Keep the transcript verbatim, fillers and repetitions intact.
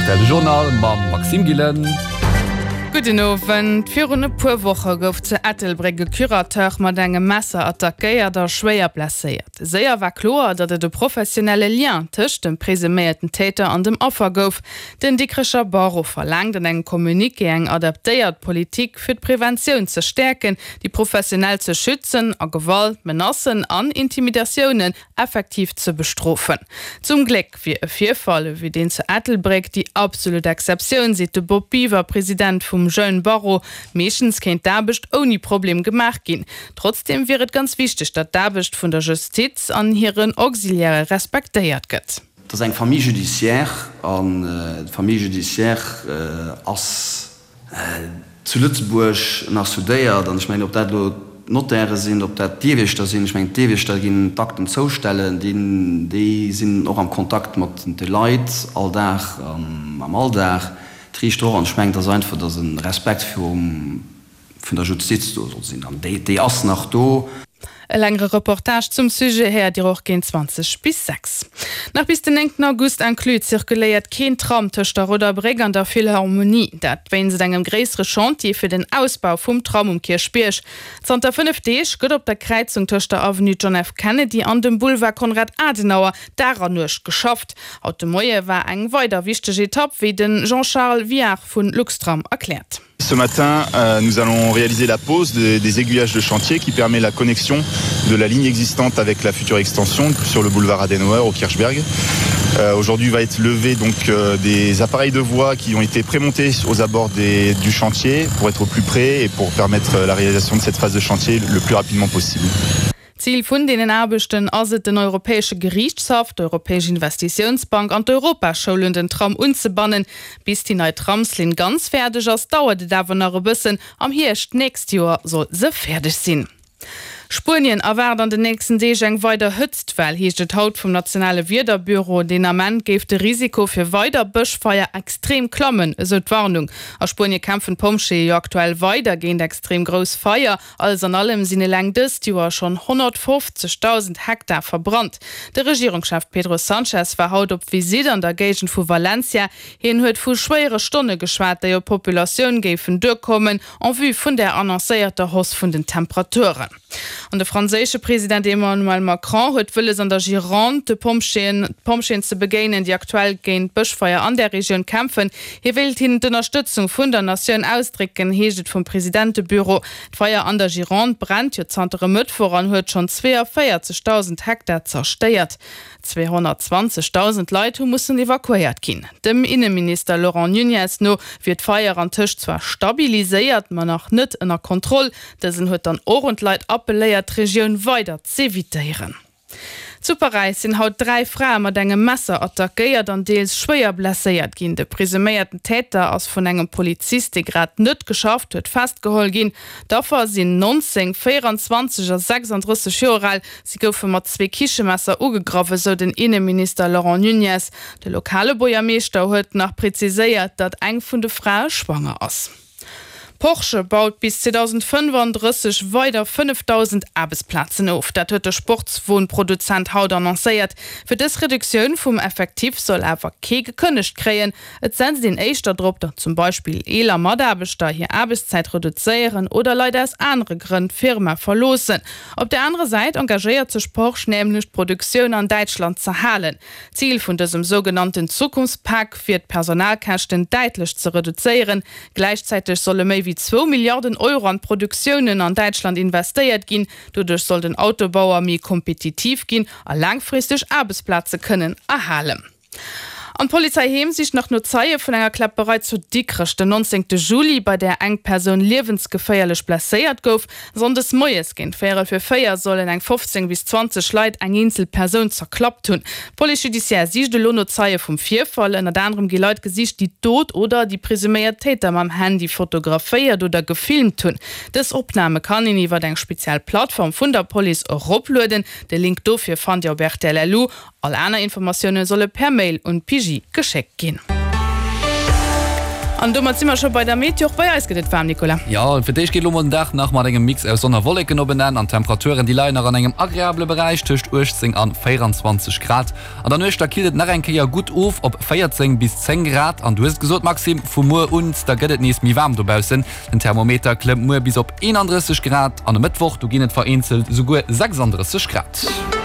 R T L Journal mam Maxime Gillen. Gudden Owend. Virun e puer Woche gouf zu Ettelbréck e Curateur mat engem Messer attackéiert a schwéier blesséiert. Séier war kloer, datt et e professionelle Lien tëscht dem presuméierten Täter an dem Affer gouf. Den Dikrecher Barreau verlaangt an engem Communiqué eng adaptéiert Politik fir d'Preventioun ze stäerken, déi Professionell ze schützen a Gewalt, Menacen an Intimidatiounen effektiv ze bestrofen. Zum Gléck wier e Virfall ewéi deen zu Ettelbréck déi absolut Exceptioun, seet de Bob Biver, President vum Jeunes Barreau. Meeschtens kéint d'Aarbecht ouni Problem gemaach ginn. Trotzdeem wier et ganz wichteg, datt d'Aarbecht vun der Justiz an hiren Auxiliairë respektéiert gëtt. Et ass eng Famille judiciaire an d'Famille judiciaire ass zu Lëtzebuerg nach soudéiert. An ech mengen, ob dat elo d'Notaire sinn, ob dat d'Dierwiechter sinn, ech mengen, d'Dierwiechter ginn d'Akten zoustellen, déi sinn och am Kontakt mat de Leit all Dag am Alldag, d'Riichter och. An ech mengen, et ass einfach, datt e Respekt virum vun der Justiz do soll sinn. An déi ass nach do. E längere Reportage zum Sujet héiert Dir och géint zwanzeg bis sechs. Nach bis den néngten August inclus zirkuléiert keen Tram tëscht der Rouder Bréck an der Philharmonie. Dat wéinst engem gréissere Chantier fir den Ausbau vum Tram um Kierchbierg. Zanter fënnef Deeg gëtt op der Kräizung tëscht der Avenue John F. Kennedy an dem Boulevard Konrad Adenauer Dag an Nuecht geschafft. Haut de Moie war eng weider wichteg Etapp, wéi de Jean-Charles Viard vu Luxtram erkläert. Ce matin, euh, nous allons réaliser la pose des, des aiguillages de chantier qui permet la connexion de la ligne existante avec la future extension sur le boulevard Adenauer au Kirchberg. Euh, aujourd'hui va être levé donc euh, des appareils de voie qui ont été prémontés aux abords des, du chantier pour être au plus près et pour permettre la réalisation de cette phase de chantier le plus rapidement possible. Zil vun deenen Aarbechten ass et, den Europäesche Geriichtshaff, d'Europäesch Investitiounsbank an d'Europaschoul un den Tram unzebannen. Bis déi nei Tramslinn ganz fäerdeg ass, dauert et awer nach e bëssen, am Hierscht d'nächst Joer soll se fäerdeg sinn. Spuenien erwaart an den nächsten Deeg eng weider Hëtztwell, heescht et haut vum nationale Wiederbüro. Deen Ament géif de Risiko fir weider Bëschfeier extrem klammen, esou d'Warnung. A Spuenie kämpfen d'Pompjeeë jo aktuell weider géint extrem grouss Feier. Alles an allem sinn eleng dëst Joer schonn honnertfofzegdausend Hektar verbrannt. De Regierungschef Pedro Sanchez war haut op Visitt an der Géigend vu Valencia. Hien huet vu schwéiere Stonne geschwat, déi op d'Populatioun géifen duerkommen, en vue vun der annoncéierter Hausse vun den Temperaturen. An de franséische President Emmanuel Macron huet wëlles an der Gironde de Pompjeeën d'Pompjeeën ze begéinen, déi aktuell géint d'Bëschfeier an där Regioun kämpfen. Hie wéilt hinnen d'Ënnerstëtzung vun der Natioun ausdrécken, heescht et vum Presidentebüro. D'Feier an der Gironde brennt jo zanter e Mëttwoch an huet schonn zweeënvéierzegdausend Hektar zerstéiert. Zweehonnertzwanzegdausend Leit hu mussen evakuéiert ginn. Dem Inneminister Laurent Nuñez no wier d'Feier antëscht zwar stabiliséiert, ma nach net ënner Kontroll. Dësen huet dann och un d'Leit appelléiert, d'Regioun weider z'evitéieren. Zu Paräis sinn haut dräi Frae mat engem Messer attackéiert an deels schwéier blesséiert ginn. De presuméierten Täter ass vun engem Polizist, dee grad net geschafft huet, festgeholl ginn. D'Affer sinn neunzéng, véieranzwanzeg a sechsanddrësseg Joer al. Si goufe mat zwee Kichemesser ugegraff, esou den Inneminister Laurent Nuñez. De lokale Buergermeeschter huet nach preziséiert, datt eng vun de Frae schwanger ass. Porsche baut bis zweedausendfënnefandrësseg weider fënnefdausend Aarbechtsplazen of. Dat huet de Sportswon-Produzent haut annoncéiert. Fir dës Reduktioun vum Effectif soll awer kee gekënnegt kréien. Et setzt een éischter drop, datt zum Beispill eeler Mataarbechter hir Aarbechtszäit reduzéieren oder Leit aus anere Grënn d'Firma verloossen. Op der anerer Säit engagéiert sech Porsche nämlech d'Produktioun an Däitschland z'erhalen. Zil vun dësem sougenannten Zukunftspak wier d'Personalkäschten däitlech ze reduzéieren. Gläichzäiteg solle méi wéi zwou Milliarden Euro an d'Produktiounen an Däitschland investéiert ginn. Doduerch soll den Autobauer méi kompetitiv ginn a laangfristeg Aarbechtsplaze kënnen erhalen. An d'Polizei Heem sicht nach no Zeie vun enger Kläpperei zu Dikrech den nonzéngte Juli, bei där eng Persoun liewensgeféierlech blesséiert gouf. Sonndes moies géint véierel vir véier sollen eng fofzéng bis zwanzeg Leit eng eenzel Persoun zerklappt hunn. D'Police judiciaire sicht elo no Zeie vum Virfall. Ënnert anerem gi Leit gesicht, déi d'Dot oder déi presuméiert Täter mam Handy fotograféiert oder gefilmt hunn. Dës Opname kann een iwwer eng speziell Plattform vun der Police eroplueden. De Link dofir fannt Dir op rtl. Lu. All aner Informatioune solle per Mail un d'P J geschéckt ginn. An domat si mer scho bei der Meteo. Och bei eis gëtt et waarm, Nicolas. Jo, fir d'éischt geet elo mol den Dag nach mat engem Mix aus Sonn a Wolleken op en Enn an d'Temperaturen, déi leien nach an engem agreabele Beräich tëscht uechtzéng an véierundzwanzeg Grad. An der Nuecht, da killt et nach eng Kéier gutt of op véierzéng bis zéng Grad. An du hues et gesot, Maxime, vu muer un, da gëtt et nees méi waarm dobaussen. Den Thermometer klëmmt muer bis op eenandrësseg Grad an e Mëttwoch, do ginn et vereenzelt esouguer sechsandrësseg Grad.